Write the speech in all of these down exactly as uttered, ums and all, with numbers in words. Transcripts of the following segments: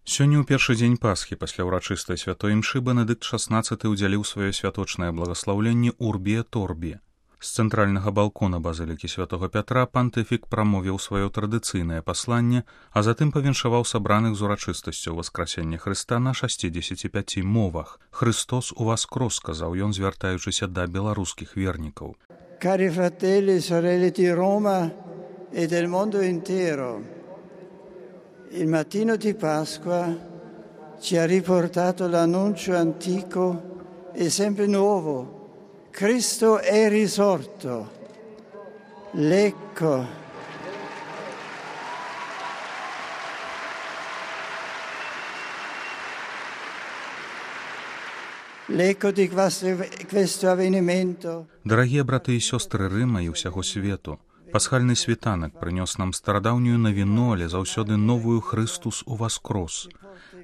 Сёння ў першы дзень Пасхі пасля ўрачыстай святой імшы Бенедыкт шаснаццаты ўдзяліў сваё святочнае благаслаўленне Урбі et Орбі. З цэнтральнага балкона базылікі святого Пятра пантыфік прамовіў сваё традыцыйнае пасланне, а затым павіншаваў сабраных з урачыстасцю Васкрасення Хрыста на шасцідзесяці пяці мовах. «Христос уваскрос», сказаў ён, звяртаючыся да беларускіх вернікаў. Cari fratelli e sorelle di Roma e del mondo intero, il mattino di Pasqua ci ha riportato l'annuncio antico e sempre nuovo. Cristo è risorto. L'ecco. L'ecco di questo avvenimento. Дарагія браты і сёстры Рыма і ўсяго свету, пасхальны світанак прынёс нам старадаўнюю навіну, але заўсёды новую «Христус уваскрос».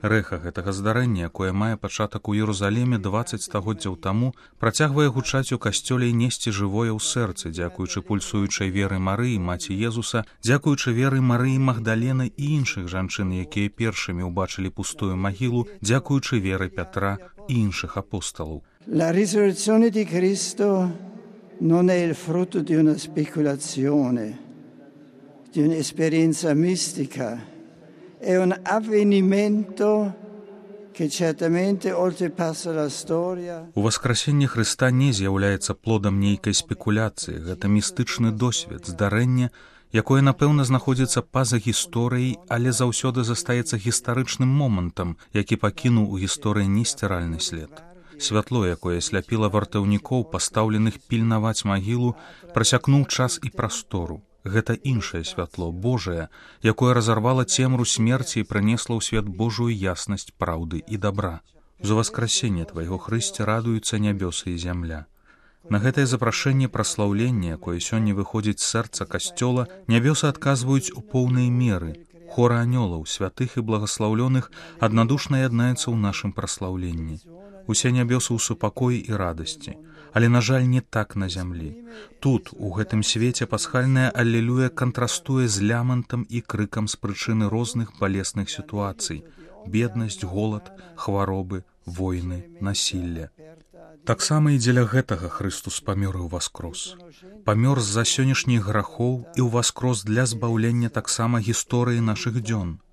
Рэха гэтага здарэння, якое мае пачатак у Єрусаліме дваццаць стагоддзяў таму, працягвае гучаць у касцёле і несці жывое ў сэрцы, дзякуючы пульсуючай веры Марыі, маці Езуса, дзякуючы веры Марыі Магдалены і іншых жанчын, якія першымі ўбачылі пустую магілу, дзякуючы веры Пятра і іншых апосталаў. La risurrezione di Cristo non è il frutto di una speculazione, di un'esperienza mistica, è un avvenimento che certamente oltrepassa la storia. Уваскрасенне Хрыста не з'яўляецца плодам нейкай спекуляцыі, гэта містычны досвед, здарэнне, якое, напэўна, знаходзіцца па-за гісторыяй, але заўсёды застаецца гістарычным момантам, які пакінуў у гісторыі несціральны след. Святло, якое сляпіла вартаўнікоў, пастаўленых пільнаваць магілу, прасякнуў час і прастору. Гэта іншае святло, Божае, якое разарвала цемру смерці і прынесла ў свет Божую яснасць праўды і дабра. За воскресенне Твайго, Хрысце, радуюцца нябёсы і зямля. На гэтае запрашэнне праслаўлення, якое сёння выходзіць з сэрца касцёла, нябёсы адказваюць у поўнай меры. Хор анёлаў, святых і благаслаўлёных аднадушна яднаецца ў нашым праслаўленні. Усе нябёсы ў супакоі і радасці. Але, на жаль, не так на зямлі. Тут, у гэтым свеце, пасхальная алелюя кантрастуе з лямантам і крыкам з прычыны розных балесных сітуацый: беднасць, голад, хваробы, войны, насілля. Таксама і дзеля гэтага Хрыстус памёр і ўваскрос. Памёр з-за сённяшніх грахоў і ўваскрос для збаўлення таксама гісторыі нашых дзён.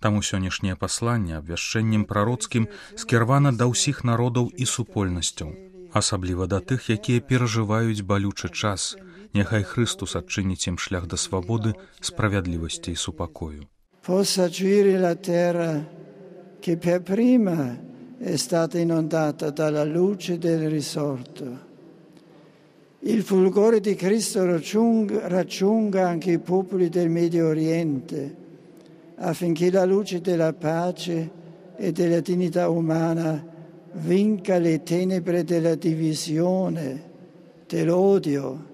Таму сённяшняе пасланне абвяшчэннем прароцкім скіравана да ўсіх народаў і супольнасцяў, асабліва да тых, якія перажываюць балючы час. Няхай Христус адчыніць ім шлях да свабоды, справядлівасці і супакою. Possa giri la terra che per prima è stata inondata dalla luce del risorto. Il fulgore di Cristo raggiunga, raggiunga anche i popoli del Medio Oriente, affinché la luce della pace e della dignità umana vinca le tenebre della divisione, dell'odio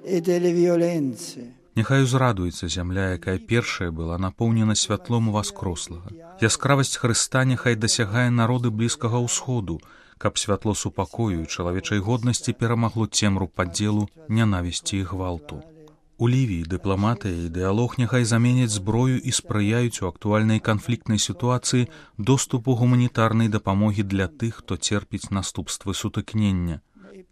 e delle violenze. Няхай узрадуецца зямля, якая першая была напоўнена святлом уваскрослага. Яскравасць Хрыста няхай дасягае народы Блізкага ўсходу, каб святло супакою і чалавечай годнасці перамагло цемру падзелу, нянавісці і гвалту. У Лівіі дыпламатыя і дыялог няхай заменяць зброю і спрыяюць у актуальнай канфліктнай сітуацыі доступу гуманітарнай дапамогі для тых, хто церпіць наступствы сутыкнення.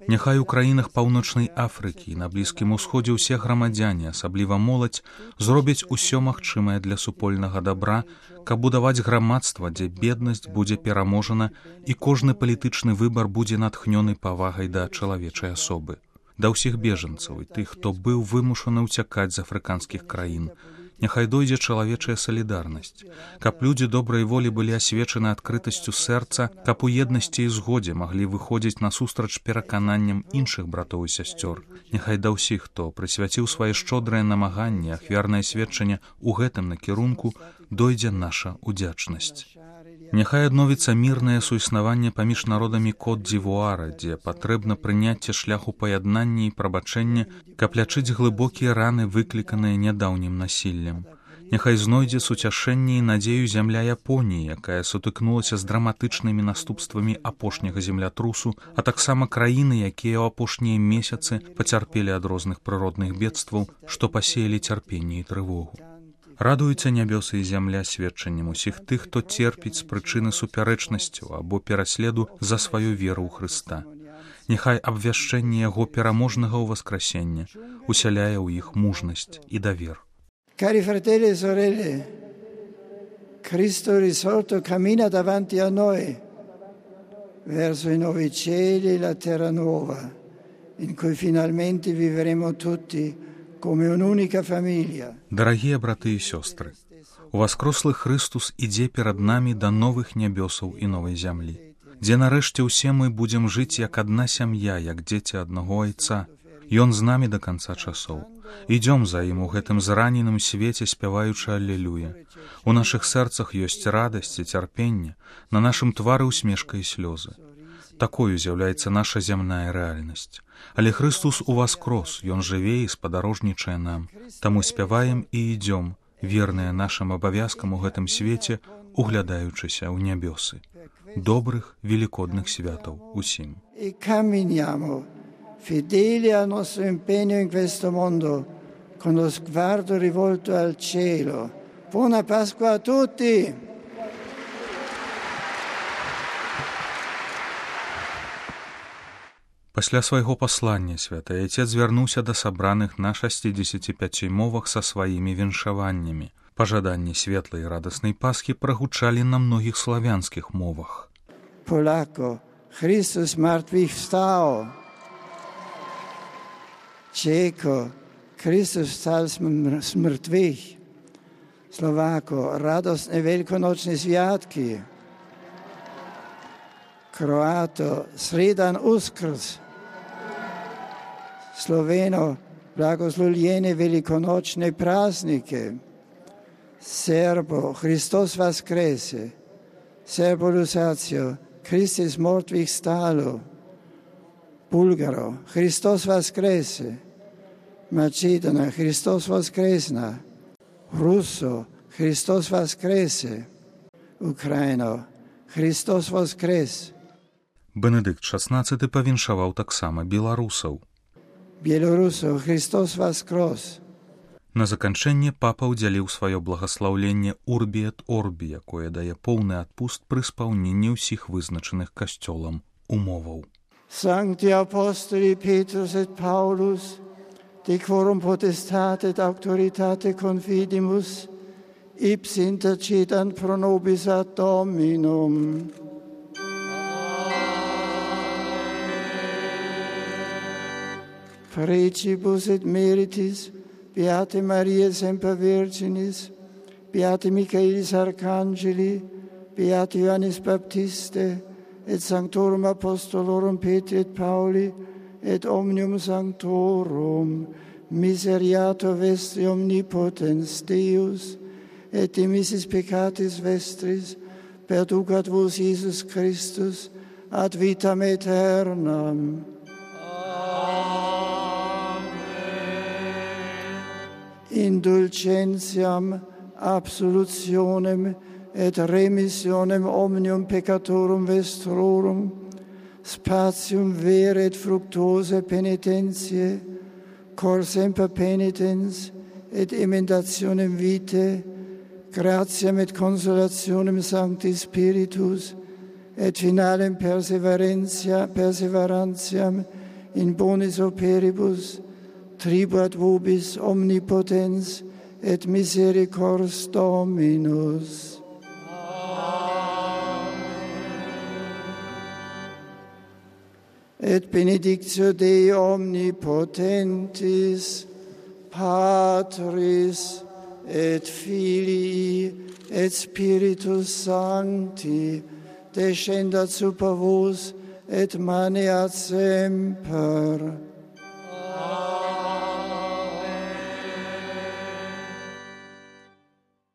Няхай у краінах Паўночнай Афрыкі і на Блізкім Усходзе ўсе грамадзяне, асабліва моладзь, зробяць усё магчымае для супольнага дабра, каб будаваць грамадства, дзе беднасць будзе пераможана і кожны палітычны выбар будзе натхнёны павагай да чалавечай асобы. Да ўсіх бежанцаў і тых, хто быў вымушаны ўцякаць з афрыканскіх краін, няхай дойдзе чалавечая салідарнасць, каб людзі добрай волі былі асвечаны адкрытасцю сэрца, каб у еднасці і згодзе маглі выходзіць насустрач перакананням іншых братоў і сясцёр. Няхай да ўсіх, хто прысвяціў свае шчодрыя намаганні, ахвярнае сведчанне ў гэтым накірунку, дойдзе наша удзячнасць. Няхай адновіцца мірнае суіснаванне паміж народамі Кот-д'Івуара, дзе патрэбна прыняцце шляху паяднання і прабачэння, каб лячыць глыбокія раны, выкліканыя нядаўнім насіллем. Няхай знойдзе суцяшэнне і надзею зямля Японіі, якая сутыкнулася з драматычнымі наступствамі апошняга землятрусу, а таксама краіны, якія ў апошнія месяцы пацярпелі ад розных прыродных бедстваў, што пасеялі цярпенне і трывогу. Радуюцца нябёсы і зямля сведчаннем усіх тых, хто церпіць з прычыны супярэчнасцяў або пераследу за сваю веру ў Хрыста. Няхай абвяшчэнне Яго пераможнага ўваскрасення усяляе ў іх мужнасць і давер. Cari fratelli e sorelle, Cristo risorto cammina davanti a noi verso i nuovi cieli e la terra nuova, in cui finalmente vivremo tutti come un'unica famiglia. Дарагія браты і сёстры, уваскрослы Христус ідзе перад намі да новых нябёсаў і новай зямлі, дзе нарэшце ўсе мы будзем жыць як адна сям'я, як дзеці аднаго айца. Ён з намі да канца часоў. Ідём за ім у гэтым зраненым свеце, спяваючы алелюя. У нашых сэрцах ёсць радасць і цярпенне, на нашым твары усмешка і слёзы. Такою з'яўляецца наша зямная рэальнасць. Але Христус уваскрос, Ён жыве і спадарожнічае нам. Таму спяваем і ідём, верныя нашым абавязкам у гэтым свеце, углядаючыся ў нябёсы. Добрых великодных святаў усім. E camminiamo fedeli al nostro impegno in questo mondo con lo sguardo rivolto al cielo. Buona Pasqua a tutti! Пасля свайго паслання святы Айцец звярнуўся да сабраных на шасцідзесяці пяці мовах са сваімі віншаваннямі. Пажаданні светлай і радаснай Пасхі прагучалі на многіх славянскіх мовах. Polacco, Chrystus zmartwychwstał. Czecho, Chrystus wstał z mrtwych. Słowako, radosne wielkonoczne światki. Kroato, sredan uskrs. Sloveno, blagoslovljene velikonočne praznike. Serbo, Hristos vaskrese. Serbo Lusatio, Christus mrtvih stalo. Bulgaro, Hristos vaskrese. Macedona, Hristos voskresna. Russo, Hristos vaskrese. Ukraino, Hristos voskres. Бенедыкт шаснаццаты павіншаваў таксама беларусаў. Белорусо, Христос воскрес. На заканчэнне папа ўдзяліў сваё благаслаўленне Урбі эт Орбі, якое дае поўны адпуст пры спаўненні ўсіх вызначаных касцёлам умоваў. Sancti Apostoli Petrus et Paulus, de quorum potestate et auctoritate confidimus, ipsi intercedant pro nobis ad Dominum. Precibus et meritis, Beate Maria semper Virginis, Beate Michaelis Arcangeli, Beate Ioannis Baptiste, et Sanctorum Apostolorum Petri et Pauli, et omnium sanctorum, miseriator vestri omnipotens Deus, et dimissis peccatis vestris, perducat vos Iesus Christus, ad vitam aeternam. Indulgentiam, absolutionem et remissionem omnium peccatorum vestrorum, spatium vere et fructuosa penitentiae, cor semper penitens et emendationem vitae, gratiam et consolationem Sancti Spiritus, et finalem perseverantia, perseverantiam in bonis operibus, tribuat vobis omnipotens et misericors Dominus. Amen. Et benedictio Dei omnipotentis, Patris et Filii et Spiritus Sancti, descendat super vos et maneat semper. Amen.